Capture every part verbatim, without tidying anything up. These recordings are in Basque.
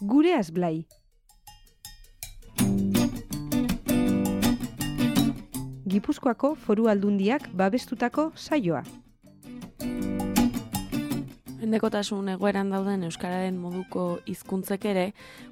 Gureaz Blai. Gipuzkoako Foru Aldundiak babestutako saioa. Mendekotasun egoeran dauden euskararen moduko hizkuntzek ere,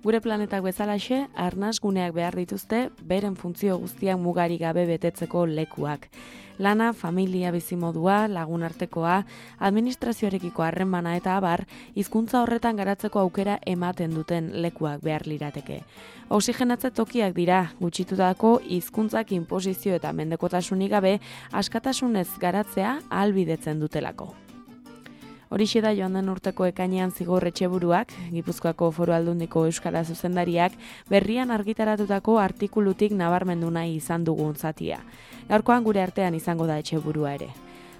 gure planetak bezalaxe, arnas guneak behar dituzte, beren funtzio guztiak mugari gabe betetzeko lekuak. Lana, familia bizimodua, lagunartekoa, administrazioarekiko harremana eta abar, hizkuntza horretan garatzeko aukera ematen duten lekuak behar lirateke. Oxigenatze tokiak dira, gutxitutako hizkuntzak inposizio eta mendekotasunik gabe, askatasunez garatzea ahalbidetzen dutelako. Horixe da joan den urteko ekainean Zigor Etxeburuak, Gipuzkoako Foru Aldundiko Euskara zuzendariak, berrian argitaratutako artikulutik nabarmendu nahi izan dugun zatia. Gaurkoan gure artean izango da Etxeburua ere.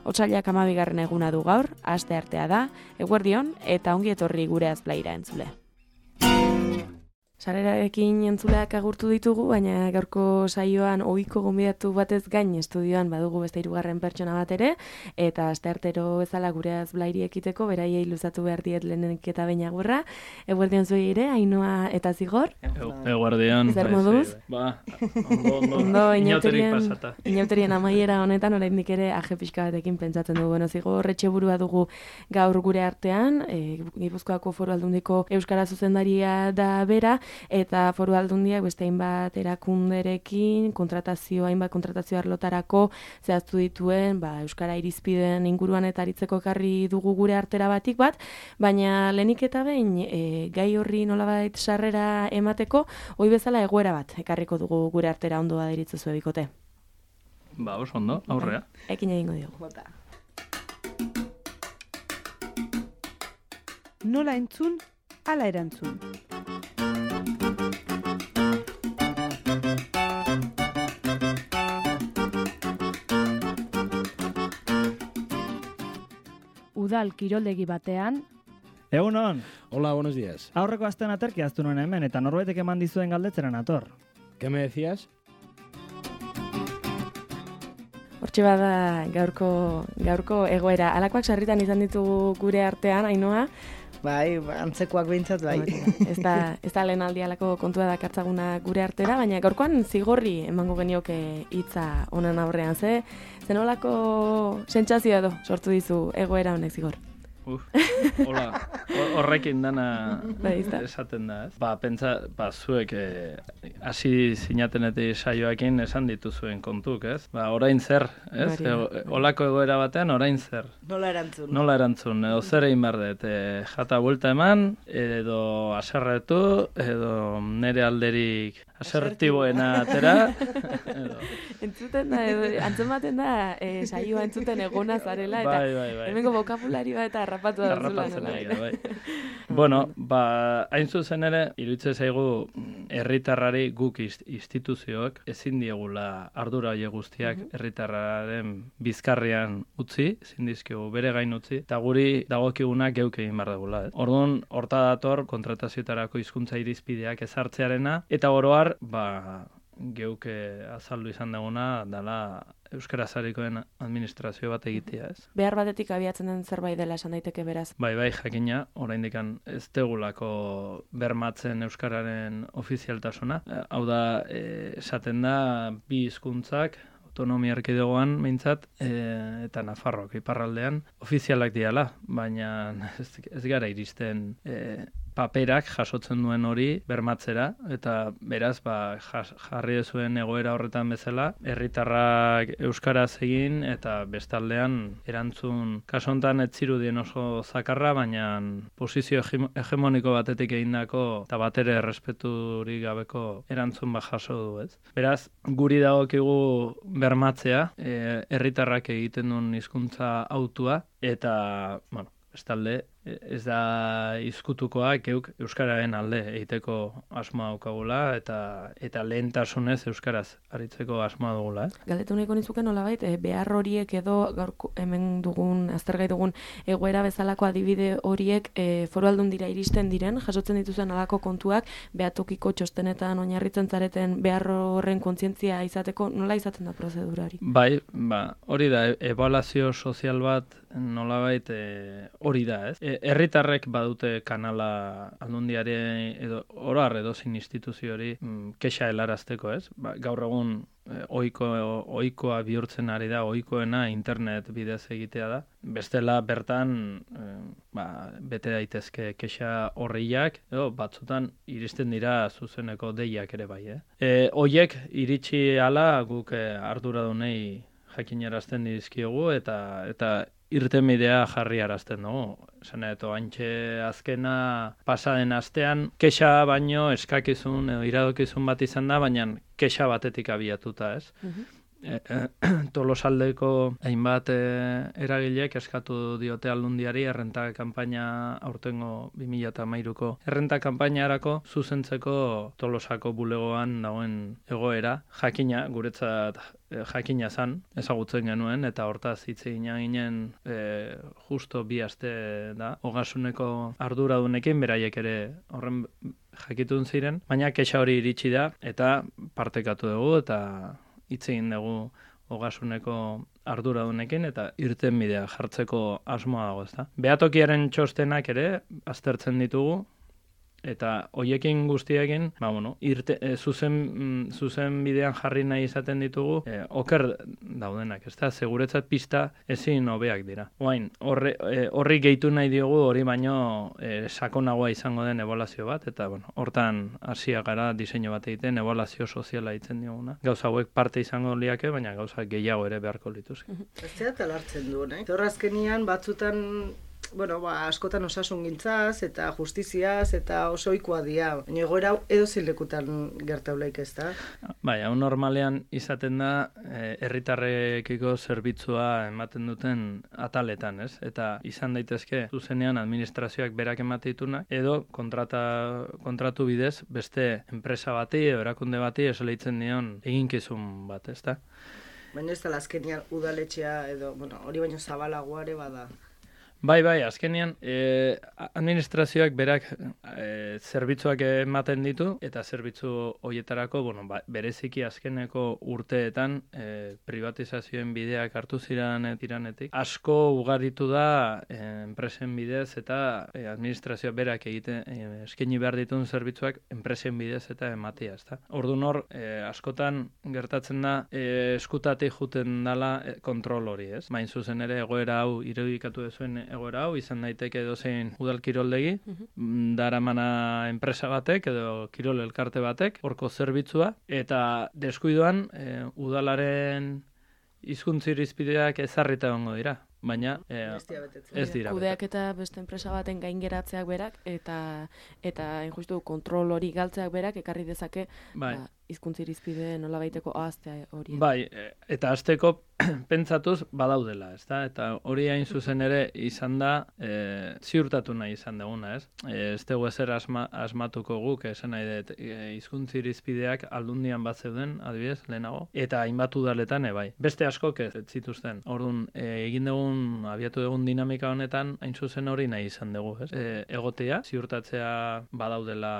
Otsailak hamabigarren eguna du gaur, aste artea da, eguerdion eta ongi etorri Gureaz Blaira entzule. Sarrerarekin entzuleak agurtu ditugu, baina gaurko saioan ohiko gonbidatu batez gain estudioan badugu beste hirugarren pertsona bat ere, eta asteartero bezala Gureaz Blairi ekiteko beraiei luzatu behar diet lehenik eta behin agurra. Eguerdion zuei ere, Ainhoa eta Zigor. Eguerdion. Zer moduz? Ba, ondo, ondo. Ondo, Inauterik pasata. Inauterien amaiera honetan, oraindik ere aje pixka batekin pentsatzen dugu. Bueno, Zigor Etxeburua dugu gaur gure artean, e, Gipuzkoako Foru Aldundiko Euskara zuzendaria da bera, eta Foru Aldundiak beste hainbat erakunderekin, kontratazio, hainbat kontratazio arlotarako zehaztu dituen, ba, Euskara irizpideen inguruan eta aritzeko ekarri dugu gure artera batik bat, baina lehenik eta behin e, gai horri nolabait sarrera emateko, ohi bezala egoera bat ekarriko dugu gure artera ondo baderitzu zuen bikote. Ba, oso ondo, aurrea. Ekin egingo diogu. Nola entzun, ala erantzun. Udal kiroldegi batean. Egunon. Hola, buenos días. Aurreko astean aterki aztu nuen hemen, eta norbaitek eman dizuen galdetzera nator. ¿Qué me decías? Hortxe bada gaurko, gaurko egoera. Alakoak sarritan izan ditugu gure artean, Ainhoa. Bai, antzekoak behintzat, bai. Ez da, ez da lehen aldi alako kontua dakartzaguna gure artera, baina gaurkoan Zigorri emango genioke hitza honen aurrean, ze zenolako sentsazioa edo sortu dizu egoera honek, Zigor? Uf, hola, horrekin dana bai, esaten da, ez? Ba, pentsa, ba, zuek hasi eh, zinatenetik saioakin esan dituzuen kontuk, ez? Ba, orain zer, ez? E, olako egoera batean, orain zer. Nola erantzun. Nola erantzun, edo zer egin behar dut, e, jata buelta eman, edo aserretu, edo nere alderik asertiboena atera. Edo. Entzuten da, edo, antzematen da, e, saioa entzuten egona zarela, eta bai, bai, bai. hemengo bokabulari bat eta harrapatu da zula. Bai. Bueno, ba, hain zuzen ere, iruditzen zaigu herritarrari guk instituzioak ezin diegula ardura horiek guztiak herritarraren bizkarrean utzi, ezin dizkigu bere gain utzi, eta guri dagokiguna geuk egin behar dugula. Eh? Orduan, horta dator kontratazioetarako hizkuntza irizpideak ezartzearena, eta oroar, ba, geuk azaldu izan duguna dela euskara zarikoen administrazio bat egitea, ez? Behar batetik abiatzen den zerbait dela esan daiteke beraz. Bai, bai, jakina, oraindik ez degulako bermatzen euskararen ofizialtasuna. Hau da, e, esaten da, bi hizkuntzak autonomia erkidegoan meintzat, e, eta Nafarroak iparraldean ofizialak diala, baina ez, ez gara iristen e, paperak jasotzen duen hori bermatzera, eta beraz, ba, jas, jarri dezuen egoera horretan bezala, herritarrak euskaraz egin, eta bestaldean erantzun kasontan ez zirudien oso zakarra, baina posizio hegemoniko batetik egindako, eta batere errespeturik gabeko erantzun bat jaso du, ez? Beraz, guri dagokigu bermatzea, e, herritarrak egiten duen hizkuntza hautua, eta, bueno, bestalde, ez da izkutukoa geuk euskararen alde egiteko asmoa daukagula eta eta lehentasunez euskaraz aritzeko asmoa dugula, eh? Galdetu nahiko nizuke nolabait, e, behar horiek edo gaur hemen dugun, aztergai dugun egoera bezalako adibide horiek e, Foru Aldundira iristen diren, jasotzen dituzuen alako kontuak, behatokiko txostenetan oinarritzen zareten behar horren kontzientzia izateko, nola izaten da prozedura hori? Bai, ba, hori da, ebaluazio sozial bat nolabait e, hori da, ez? E, herritarrek badute kanala aldundiari edo oroar edozein instituziori mm, kexa helarazteko, ez? Ba, gaur egun eh, ohiko ohikoa bihurtzen ari da, ohikoena internet bidez egitea da. Bestela bertan eh, ba, bete daitezke kexa horriak, edo batzutan iristen dira zuzeneko deiak ere bai, eh? E, hoiek iritsi hala guk eh, arduradunei jakinarazten dizkiogu eta eta irtenbidea jarri arazten dugu. Esan edo, antxe azkena pasaden astean, kexa baino eskakizun edo iradokizun bat izan da, baina kexa batetik abiatuta, ez? Uh-huh. E, e, Tolosaldeko hainbat e, eragilek eskatu diote aldundiari errenta kanpaina aurtengo bi mila hamairuko errenta kanpainarako zuzentzeko Tolosako bulegoan dagoen egoera, jakina, guretzat e, jakina zan, ezagutzen genuen, eta hortaz hitz egin ginen e, justo bi aste da, ogasuneko arduradunekin, beraiek ere horren jakitun ziren, baina kexa hori iritsi da, eta partekatu dugu, eta hitz egin dugu ogasuneko arduradunekin eta irtenbidea jartzeko asmoa dago, ezta. Behatokiaren txostenak ere aztertzen ditugu eta hoiekin guztiekin, ba bueno, irte, e, zuzen mm, zuzen bidean jarri nahi izaten ditugu, e, oker daudenak, ezta? Seguretzat pista ezin hobeak dira. Orain, horri e, horri gehitu nahi diogu, hori baino e, sakonagoa izango den ebaluazio bat, eta bueno, hortan hasia gara diseinu bat egiten, ebaluazio soziala ditzen dioguna. Gauza hauek parte izango liake, baina gauza gehiago ere beharko lituzke. Ez zera talartzen duen, eh? Horrazkenian batzutan bueno, ba, askotan osasungintzaz eta justiziaz eta oso ohikoa dira. Baina egoera edo zilekutan gertaulaik ez da? Bai, hau normalean izaten da herritarrekiko zerbitzua ematen duten ataletan, ez? Eta izan daitezke zuzenean administrazioak berak emate ditunak edo kontrata, kontratu bidez beste enpresa bati edo erakunde bati esleitzen dion eginkizun bat, ez da? Baina ez da azkenean udaletxea edo, bueno, hori baino zabalagoa ere bada. Bai, bai, azkenean eh, administrazioak berak eh, zerbitzuak ematen ditu eta zerbitzu horietarako, bueno, ba, bereziki azkeneko urteetan eh, privatizazioen bideak hartu ziren tiranetik. Asko ugaritu da eh, enpresen bidez eta eh, administrazioak berak egiten eh, eskaini behar dituen zerbitzuak enpresen bidez eta ematea, ezta. Orduan hor, eh, askotan gertatzen da eh, eskutatik juten dala eh, kontrol hori, ez? Bain zuzen ere egoera hau irudikatu dezuen egoera hau, izan daiteke edozein udal kiroldegi, uh-huh. daramana enpresa batek edo kirol elkarte batek, horko zerbitzua, eta deskuidoan e, udalaren hizkuntza irizpideak ezarrita egongo dira. Baina eh, ez dira. Kudeak eta beste enpresa baten gain geratzeak berak eta eta injustu kontrol hori galtzeak berak ekarri dezake bai. Ba, hizkuntza irizpide nolabait,eko ahaztea hori. Bai, eta hasteko pentsatuz badaudela, ezta? Eta hori hain zuzen ere izan da e, ziurtatu nahi izan duguna, ez? E, ez dugu ezer asma, asmatuko guk, esan nahi dut, hizkuntza irizpideak aldundian bat zeuden, adibidez, lehenago, eta hainbat udaletan bai. Beste askok ez zituzten. Orduan, e, egin dugun, abiatu dugun dinamika honetan, hain zuzen hori nahi izan dugu, ez? E, egotea, ziurtatzea badaudela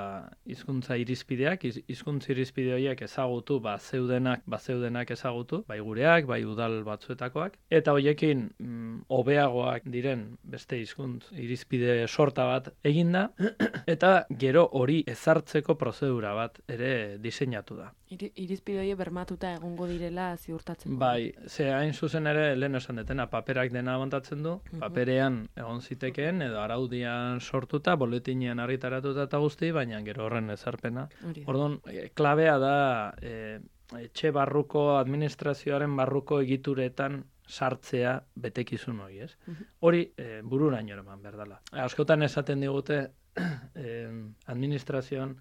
hizkuntza irizpideak, hizkuntza irizpide horiek ezagutu, ba zeudenak, ba zeudenak ezagutu, bai gureak, bai udal batzuetakoak, eta hoiekin mm, hobeagoak diren beste hizkuntz irizpide sorta bat eginda, eta gero hori ezartzeko prozedura bat ere diseinatu da. Irizpide horiek bermatuta egongo direla ziurtatzen. Bai, ze hain zuzen ere lehen esan detena, paperak dena montatzen du, paperean egon zitekeen, edo araudian sortuta, boletinean argitaratuta eta guzti, baina gero horren ezarpena. Orduan, klabea da e, etxe barruko, administrazioaren barruko egituretan sartzea betekizun hori, ez? Hori e, bururaino eman behar dela. Askotan esaten digute eh, administrazioan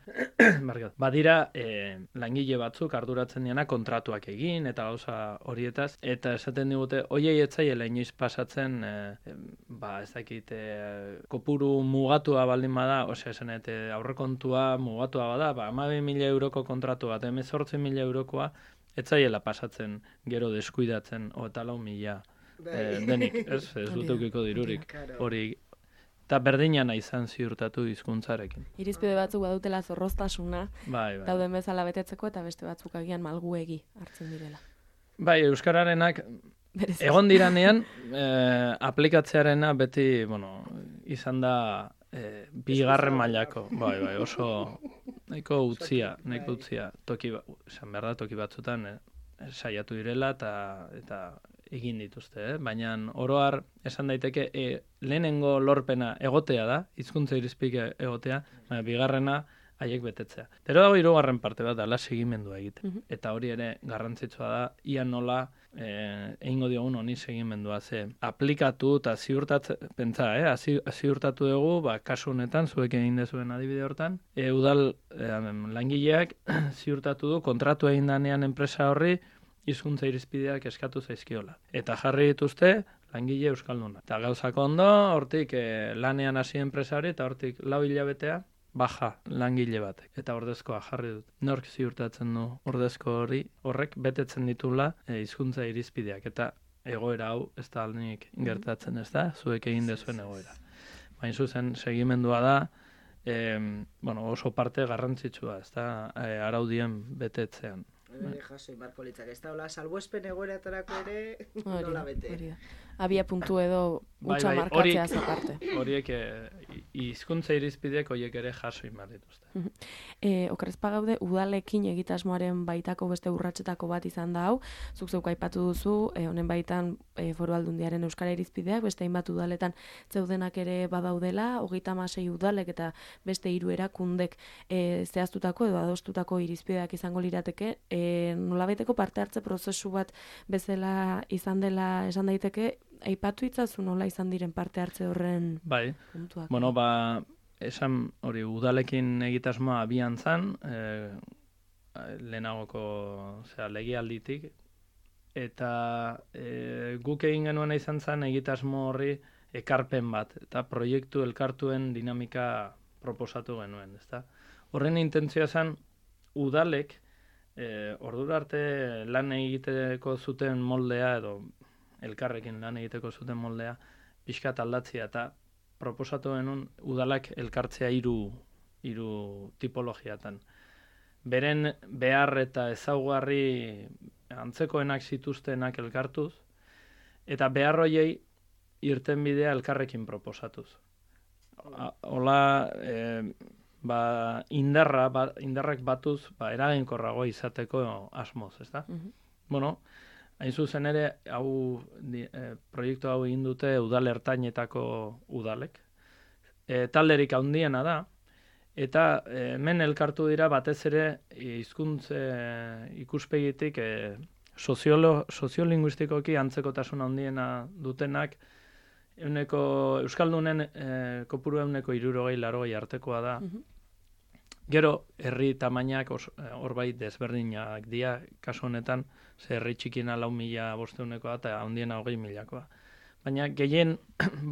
badira eh, langile batzuk arduratzen diana kontratuak egin eta gauza horietaz, eta esaten digute hoiei etzaiela inoiz pasatzen eh, ba ez dakit eh, kopuru mugatua baldin bada, osea esan eta aurrekontua mugatua bada, ba hamabi mila euroko kontratu bat, hemezortzi mila eurokoa etzaiela pasatzen gero deskuidatzen eta lau mila eh, denik, ez, ez dutukiko dirurik hori. Eta berdinana izan ziurtatu hizkuntzarekin. Irizpide batzuk badutela zorroztasuna, bai, bai. dauden bezala betetzeko, eta beste batzuk agian malguegi hartzen direla. Bai, euskararenak egon diranean, eh, aplikatzearena beti, bueno, izan da e, bigarren mailako, bai, bai, oso nahiko utzia, nahiko utzia, toki, esan behar da, toki batzutan e, saiatu direla eta eta egin dituzte, eh? Baina oroar esan daiteke e, lehenengo lorpena egotea da, hizkuntza irizpide egotea, baina bigarrena haiek betetzea. Pero dago hirugarren parte bat, ala segimendua egite. Mm -hmm. Eta hori ere garrantzitsua da, ia nola eh, egingo diogun honi segimendua, ze aplikatu eta ziurtatzen, pentsa, eh? ziurtatu dugu, ba, kasu honetan, zuek egin dezuen adibide hortan, e, udal e, langileak ziurtatu du, kontratu egin danean enpresa horri, hizkuntza irizpideak eskatu zaizkiola. Eta jarri dituzte, langile euskalduna. Eta gauzako ondo, hortik e, lanean hasi enpresa hori, eta hortik lau hilabetea, baja langile batek. Eta ordezkoa jarri dut. Nork ziurtatzen du ordezko hori, horrek betetzen ditula hizkuntza irizpideak. Eta egoera hau ez da aldenik gertatzen, ez da? Zuek egin dezuen egoera. Baina zuzen, segimendua da, e, bueno, oso parte garrantzitsua, ez da? E, araudien betetzean. Ere jasoi marko litzak, ez da, hola, salbuespen egoeratarako ere nola bete. Abia puntu edo utxa bai, bai, markatzea zaparte. Horiek hizkuntza irizpideak horiek ere jaso inbar dituzte. e, Okerrezpa gaude, udalekin egitasmoaren baitako beste urratsetako bat izan da hau, zuk zeuk aipatu duzu, e, honen baitan e, Foru Aldundiaren euskara irizpideak, beste hainbat udaletan zeudenak ere badaudela, hogeita hamasei udalek eta beste hiru erakundek e, zehaztutako edo adostutako irizpideak izango lirateke, e, nolabaiteko parte hartze prozesu bat bezala izan dela esan daiteke, aipatu itzazu nola izan diren parte hartze horren bai. puntuak. Bueno, ba, esan hori udalekin egitasmoa abian zan, e, lehenagoko zera, legialditik, eta e, guk egin genuena izan zen egitasmo horri ekarpen bat, eta proiektu elkartuen dinamika proposatu genuen, ezta? Horren intentzioa zen udalek e, ordura arte lan egiteko zuten moldea edo elkarrekin lan egiteko zuten moldea, pixkat aldatzea eta proposatu genuen udalak elkartzea hiru hiru tipologiatan. Beren behar eta ezaugarri antzekoenak zituztenak elkartuz, eta behar hoiei irtenbidea elkarrekin proposatuz. Hola, e, ba, indarra, ba, indarrak batuz, ba, eraginkorrago izateko asmoz, ezta? Mm-hmm. Bueno, hain zuzen ere, hau, di, e, proiektu hau egin dute udal ertainetako udalek. E, talderik handiena da, eta e, hemen elkartu dira batez ere hizkuntze ikuspegitik e, soziolo, soziolinguistikoki antzekotasun handiena dutenak, euneko, Euskaldunen e, kopuru euneko hirurogei larogei artekoa da. Mm-hmm. Gero, herri tamainak hor bai desberdinak dira, kasu honetan, ze herri txikina lau mila bosteunekoa eta handiena hogei milakoa. Baina gehien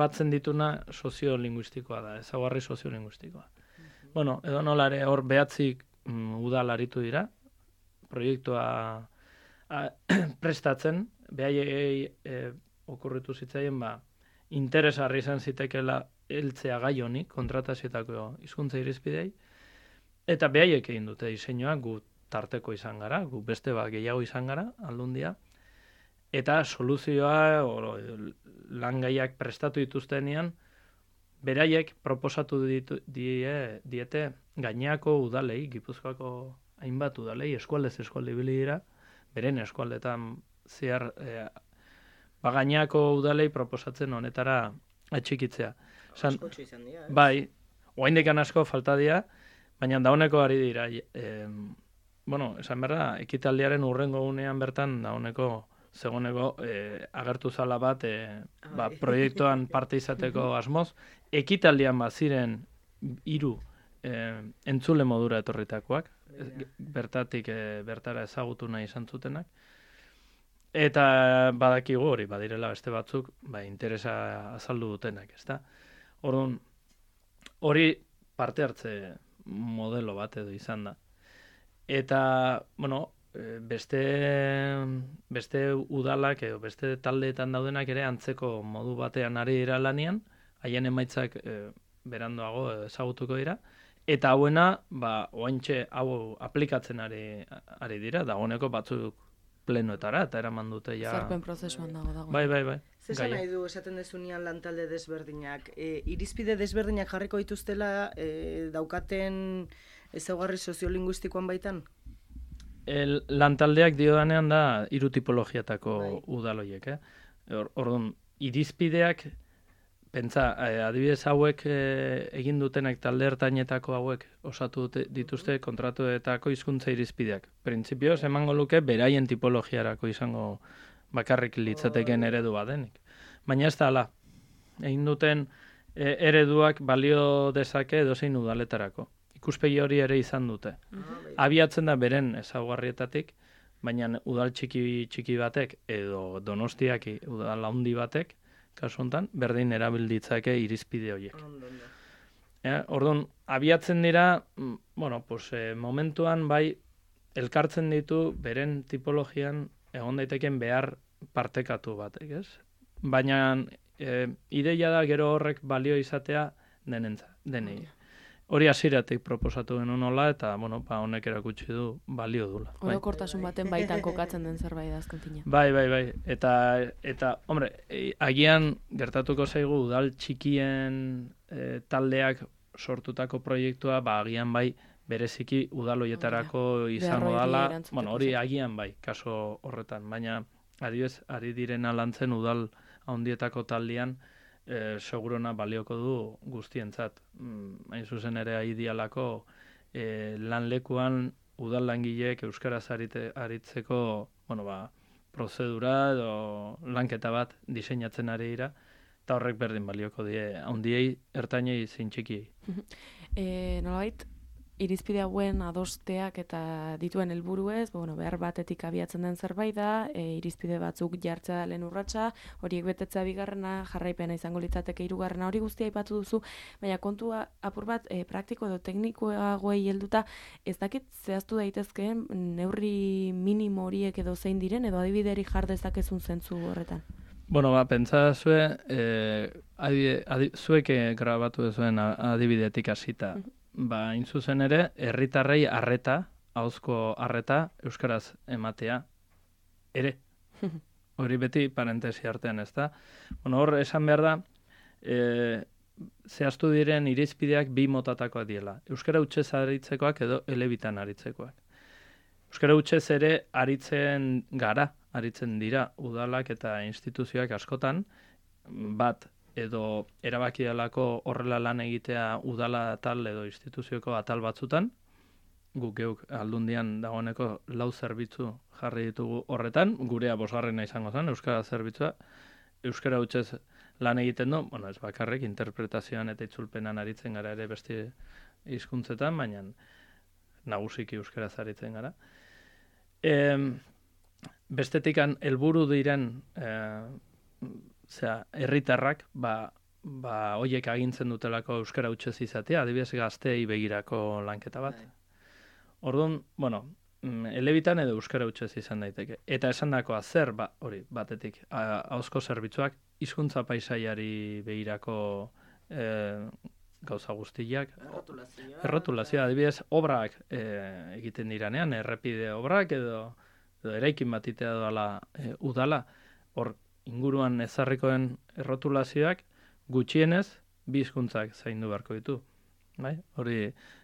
batzen dituna soziolinguistikoa da, ezaugarri soziolinguistikoa. Mm-hmm. Bueno, edo nolare hor behatzik mm, udal aritu dira, proiektua a, prestatzen, behaiei e, okurritu zitzaien, ba, interesarri izan zitekela heltzea gai honi, kontratazietako hizkuntza irizpidei, eta behaiek egin dute diseinua, gu tarteko izan gara, gu beste bat gehiago izan gara, aldundia, eta soluzioa, o, langaiak prestatu dituztenean, beraiek proposatu ditu, die, diete gaineako udalei, Gipuzkoako hainbat udalei, eskualdez eskualde ibili dira, beren eskualdetan zehar, e, ba gaineako udalei proposatzen honetara atxikitzea. San, askotxo izan dira, eh? Bai, oraindik asko falta dira, baina dauneko ari dira. E, bueno, esan berda, ekitaldiaren urrengo gunean bertan dauneko zegoneko e, agertu zala bat e, ba, proiektuan parte izateko asmoz, ekitaldian baziren hiru e, entzule modura etorritakoak, bertatik e, bertara ezagutu nahi izan zutenak, eta badakigu hori, badirela beste batzuk, ba, interesa azaldu dutenak, ezta? Orduan, hori parte hartze modelo bat edo izan da. Eta, bueno, beste, beste udalak edo beste taldeetan daudenak ere antzeko modu batean ari dira lanian, haien emaitzak e, berandoago ezagutuko dira, eta hauena, ba, oaintxe hau aplikatzen ari, ari dira, dagoeneko batzuk plenoetara, eta eraman dute ja... Zarpen prozesuan dago dago. Bai, bai, bai. Zesan nahi du esaten dezunean lantalde desberdinak. E, irizpide desberdinak jarriko dituztela e, daukaten ezaugarri soziolinguistikoan baitan? El, lantaldeak diodanean da hiru tipologiatako Bai. udaloiek, eh? Or, orduan, irizpideak, pentsa, eh, adibidez hauek eh, egin dutenak talde ertainetako hauek osatu dute, dituzte kontratuetako hizkuntza irizpideak. Printzipioz, emango luke beraien tipologiarako izango bakarrik litzateken eredu badenik. Baina ez da ala, egin duten eh, ereduak balio dezake edozein udaletarako. Ikuspegi hori ere izan dute. Abiatzen da beren ezaugarrietatik, baina udal txiki txiki batek edo Donostiak udal handi batek, kasu honetan, berdin erabilditzake irizpide horiek. Ja, orduan, abiatzen dira, mm, bueno, pues, eh, momentuan bai elkartzen ditu beren tipologian egon daiteken behar partekatu batek, ez? Baina eh, ideia da gero horrek balio izatea denentza, denei. Hori hasieratik proposatu genuen hola, eta, bueno, ba, honek erakutsi du balio dula. Bai. Orokortasun baten baitan kokatzen den zerbait da azken fina. Bai, bai, bai. Eta, eta hombre, e, agian gertatuko zaigu udal txikien e, taldeak sortutako proiektua, ba, agian bai bereziki udaloietarako izango Beharroi dala. erantzuteko Bueno, hori zen. agian bai, kaso horretan. Baina, adibidez, ari direna lantzen udal handietako taldean, e, segurona balioko du guztientzat. Mm, hain zuzen ere aidialako e, lanlekuan udal langileek euskaraz arite, aritzeko, bueno, ba, prozedura edo lanketa bat diseinatzen ari dira, eta horrek berdin balioko die, handiei, ertainei, zein txikiei. E, nolabait, irizpide hauen adosteak eta dituen helburuez, bueno, behar batetik abiatzen den zerbait da, e, irizpide batzuk jartzea da lehen urratsa, horiek betetzea bigarrena, jarraipena izango litzateke hirugarrena, hori guztia aipatu duzu, baina kontua apur bat e, praktiko edo teknikoagoei helduta, ez dakit zehaztu daitezkeen neurri minimo horiek edo zein diren, edo adibideri jar dezakezun zentzu horretan. Bueno, ba, pentsa zue, eh, adibide, adi, zuek grabatu duzuen adibidetik hasita. Ba, hain zuzen ere, herritarrei arreta, ahozko arreta, euskaraz ematea, ere. Hori beti parentesi artean, ez da? Bueno, hor, esan behar da, e, zehaztu diren irizpideak bi motatakoak diela. Euskara hutsez aritzekoak edo elebitan aritzekoak. Euskara hutsez ere aritzen gara, aritzen dira udalak eta instituzioak askotan, bat, edo erabaki dalako horrela lan egitea udala atal edo instituzioko atal batzutan, guk geuk aldundian dagoeneko lau zerbitzu jarri ditugu horretan, gurea bosgarrena izango zen, euskara zerbitzua, euskara hutsez lan egiten du, bueno, ez bakarrik, interpretazioan eta itzulpenan aritzen gara ere beste hizkuntzetan, baina nagusiki euskaraz aritzen gara. E, bestetikan helburu diren e, Zera, herritarrak, ba, ba, hoiek agintzen dutelako euskara hutsez izatea, adibidez gazteei begirako lanketa bat. Orduan, bueno, elebitan edo euskara hutsez izan daiteke. Eta esandakoa zer, ba, hori, batetik, ahozko zerbitzuak, hizkuntza paisaiari begirako e, gauza guztiak. Errotulazioa. Errotulazioa, adibidez, obrak e, egiten diranean, errepide obrak edo, edo eraikin batitea doala e, udala, hor, inguruan ezarrikoen errotulazioak gutxienez bi hizkuntzak zaindu beharko ditu. Bai? Hori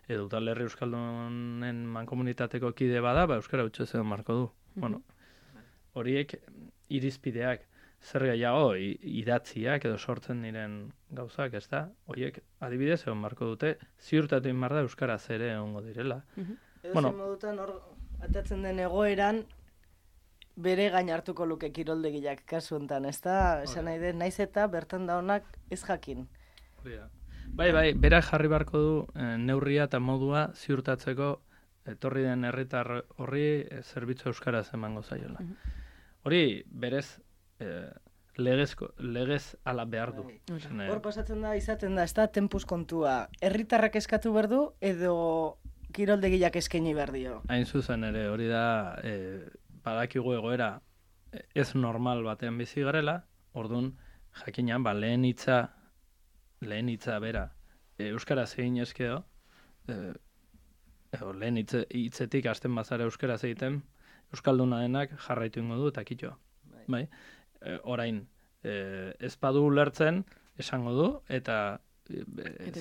edo udalerri euskaldunen mankomunitateko kide bada, ba euskara hutsez egon beharko du. Mm-hmm. Bueno, horiek irizpideak zer gehiago idatziak edo sortzen diren gauzak, ez da? Horiek adibidez egon beharko dute, ziurtatu egin behar da euskaraz ere egongo direla. Mm-hmm. Edo Bueno, zen modutan hor atatzen den egoeran bere gain hartuko luke kiroldegiak kasu hontan, ezta? Esan nahi den, naiz eta bertan daunak ez jakin. Bai, bai, berak jarri beharko du eh, neurria eta modua ziurtatzeko etorri den herritar horri eh, zerbitzu euskaraz emango zaiola. Hori berez eh, legezko, legez ala behar du. Esan, eh, Hor pasatzen da, izaten da, ezta tempus kontua. Herritarrak eskatu behar du edo kiroldegiak eskaini behar dio? Hain zuzen ere, hori da... Eh, badakigu egoera ez normal batean bizi garela, orduan jakinan, ba, lehen hitza, lehen hitza bera, e, euskaraz egin ezkeo, e, e, lehen hitze, hitzetik hasten bazara euskaraz egiten, euskalduna denak jarraitu ingo du eta kitxo. Bai? E, orain, e, ez badu ulertzen, esango du, eta, e,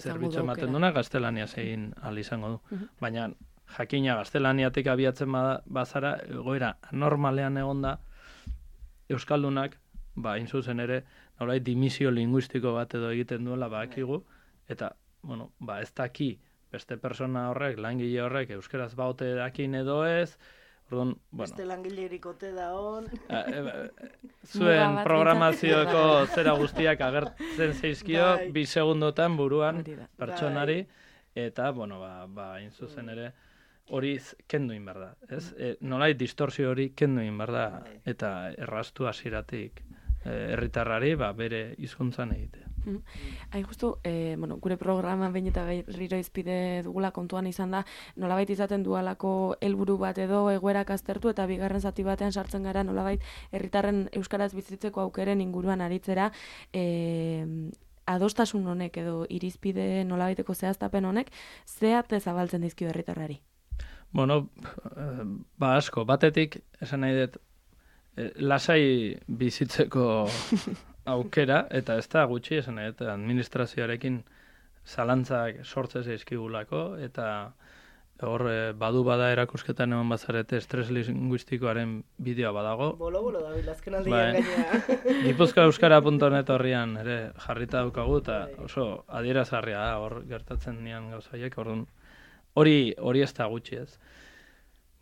zerbitzu ematen duna gaztelaniaz egin ahal izango du. Uh-huh. Baina, jakina gaztelaniatik abiatzen bazara, egoera anormalean egonda, euskaldunak, ba, zuzen ere, nolai dimisio linguistiko bat edo egiten duela badakigu, eta, bueno, ba, ez daki beste persona horrek, langile horrek, euskeraz baute dakin edo ez, orduan, bueno. Beste langilerik ote da hon. Zuen programazioko zera guztiak agertzen zeizkio, bi segundotan buruan pertsonari, eta, bueno, ba, ba, zuzen ere, hori kendu egin behar da, ez? E, nolai distorsio hori kendu egin behar da, eta erraztu hasieratik herritarrari ba, bere hizkuntzan egitea. Mm. Hain justu, eh, bueno, gure programa behin eta berriro izpide dugula kontuan izan da, nolabait izaten dualako helburu bat edo egoerak aztertu eta bigarren zati batean sartzen gara nolabait herritarren euskaraz bizitzeko aukeren inguruan aritzera, eh, adostasun honek edo irizpide nolabaiteko zehaztapen honek, zehat zabaltzen dizkio herritarrari? Bueno, ba asko, batetik, esan nahi dut, lasai bizitzeko aukera, eta ez da gutxi, esan nahi dut, administrazioarekin zalantzak sortzez eizkigulako, eta hor badu bada erakusketan eman bazarete estres linguistikoaren bideoa badago. Bolo-bolo da, bilazken aldian gainea. Gipuzkoa euskara puntu net horrian ere jarrita daukagu, eta oso adierazgarria da, hor gertatzen nian gauzaiek, orduan hori hori ez da gutxi ez.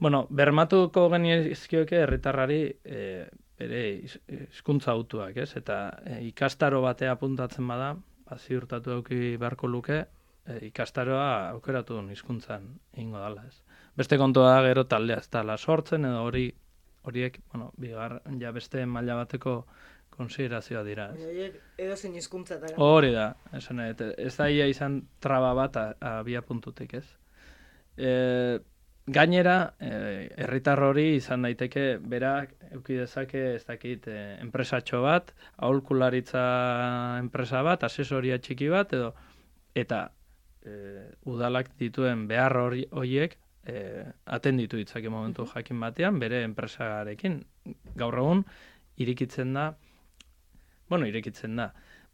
Bueno, bermatuko genizkioke herritarrari e, bere hizkuntza autuak, ez? Eta e, ikastaro batea apuntatzen bada, ba, ziurtatu dauki beharko luke, e, ikastaroa aukeratu duen hizkuntzan egingo dala, ez? Beste kontua da gero taldea ez dala sortzen, edo hori horiek, bueno, bigar, ja beste maila bateko konsiderazioa dira, ez? Horiek edo zein hizkuntza da. Hori da, esan ez, ez da ia izan traba bat abia puntutik, ez? E, gainera, herritar e, hori izan daiteke berak eduki dezake ez dakit e, enpresatxo bat, aholkularitza enpresa bat, asesoria txiki bat edo eta e, udalak dituen behar hori horiek e, atenditu ditzake momentu jakin batean bere enpresarekin. Gaur egun irikitzen da, bueno, irikitzen da.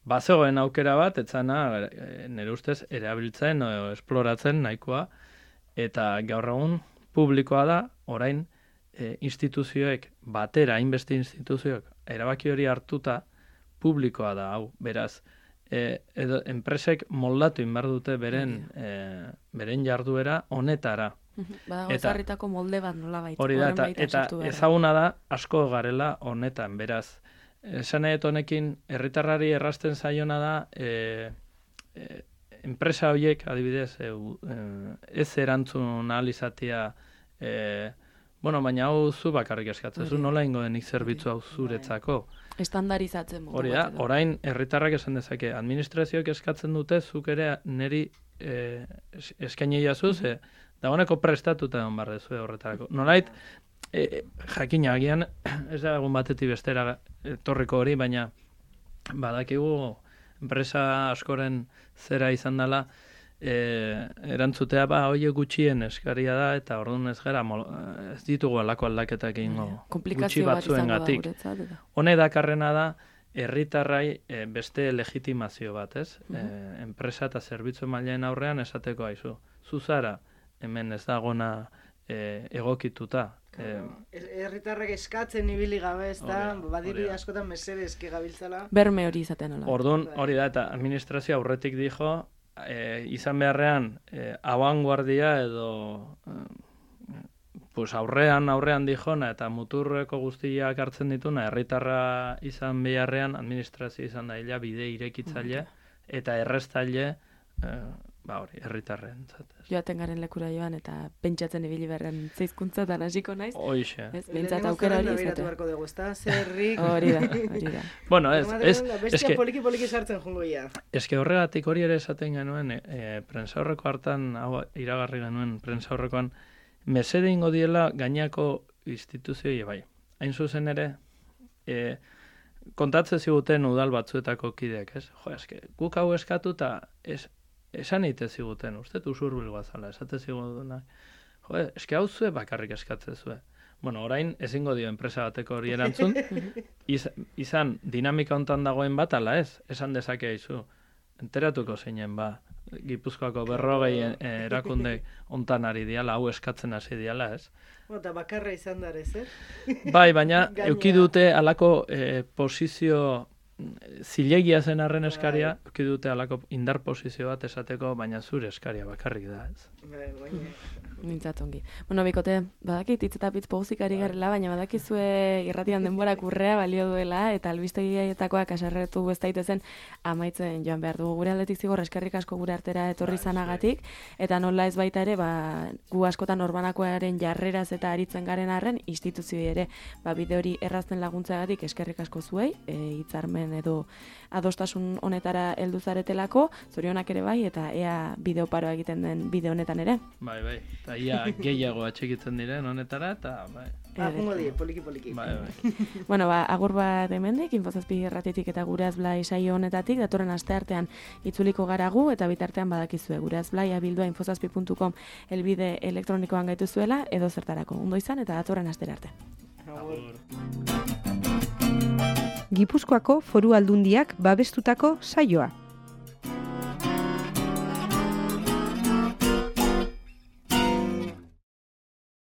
Bazegoen aukera bat, etzana nire ustez erabiltzen o esploratzen nahikoa. Eta gaur egun publikoa da, orain e, instituzioek batera, hainbeste instituzioek, erabaki hori hartuta publikoa da, hau, beraz, e, edo, enpresek moldatu inbar dute beren, e, beren jarduera honetara. Badago ezarritako molde bat nola baita. Hori da, eta, eta ezaguna da asko garela honetan, beraz. Esan nahi honekin, herritarrari errazten zaiona da, e, e, enpresa horiek, adibidez, e, e, ez erantzun ahal izatea, e, bueno, baina hau zu bakarrik eskatzen, zu nola ingo denik zerbitzu hau zuretzako. Estandarizatzen. Hori da, orain herritarrak esan dezake, administrazioek eskatzen dute, zuk ere niri e, eskaini jazuz, e, dagoeneko prestatuta egon behar dezu horretarako. Nolait, e, jakina agian, ez da egun batetik bestera etorriko hori, baina badakigu enpresa askoren zera izan dela, e, erantzutea, ba, hoiek gutxien eskaria da, eta orduan ez gara, ez ditugu alako aldaketak egingo gutxi batzuengatik. Hone dakarrena da, herritarrai e, beste legitimazio bat, ez? E, enpresa eta zerbitzu mailen aurrean esateko aizu. Zuzara, hemen ez dagona e, egokituta. Herritarrak eskatzen ibili gabe, ez da, badiri askotan mesere eske gabiltzala. Berme hori izaten hola. Orduan, hori da, eta administrazio aurretik dijo, e, izan beharrean, e, abanguardia edo e, pues aurrean, aurrean dijona, eta muturreko guztiak hartzen dituna, herritarra izan beharrean, administrazio izan daila, bide irekitzaile, eta erreztaile, e, ba hori, herritarren. Joaten garen lekura joan eta pentsatzen ibili berren zeizkuntzatan hasiko naiz. Hoixe. Ez, behintzat aukera hori izatea. Beharko dugu, ez da, zerrik. Hori da, hori da. Bueno, ez, ez, bestia poliki-poliki sartzen jungo ia. Eske horregatik hori ere esaten genuen, e, prensaurreko hartan, hau iragarri genuen prensaurrekoan, mesede ingo diela gainako instituzioi bai. Hain zuzen ere, e, kontatze ziguten udal batzuetako kideak, ez? Jo, eske, guk hau eskatu eta ez, esan eite ziguten, uste usurbil guazala, esate zigutena. Jo, eske hau zue bakarrik eskatzen zue. Bueno, orain ezingo dio enpresa bateko hori erantzun, iz, izan dinamika hontan dagoen bat, ala ez, esan dezake izu, enteratuko zeinen ba, Gipuzkoako berrogei eh, erakunde hontan ari diala, hau eskatzen hasi diala, ez? Eta bakarra izan darez, eh? Bai, baina euki dute alako eh, posizio zilegia zen arren eskaria, Bai. euki dute alako indar posizio bat esateko, baina zure eskaria bakarrik da, ez? Bai, baina... Mintzat ongi. Bueno, bikote, badakit hitz eta pitz pozik ari garela, baina badakizue irratian denborak urrea balio duela, eta albistegietakoak aserretu ez daitezen amaitzen joan behar dugu. Gure aldetik zigor eskerrik asko gure artera etorri zanagatik, eta nola ez baita ere, ba, gu askotan orbanakoaren jarreraz eta aritzen garen arren, instituzioi ere, ba, bide hori errazten laguntzagatik eskerrik asko zuei, e, hitzarmen edo adostasun honetara heldu zaretelako, zorionak ere bai, eta ea bideoparoa egiten den bide honetan ere. Bai, bai. Eta ia gehiago atxekitzen diren honetara, eta bai. Agungo die, poliki-poliki. Bai, bai. Bueno, ba, agur bat hemendik, Infozazpi irratitik eta Gure Azblai saio honetatik, datorren asteartean itzuliko gara gu, eta bitartean badakizue, Gure Azblai abildua infozazpi puntu com elbide elektronikoan gaituzuela, edo zertarako. Ondo izan, eta datorren astera arte. Agur. Gipuzkoako Foru Aldundiak babestutako saioa.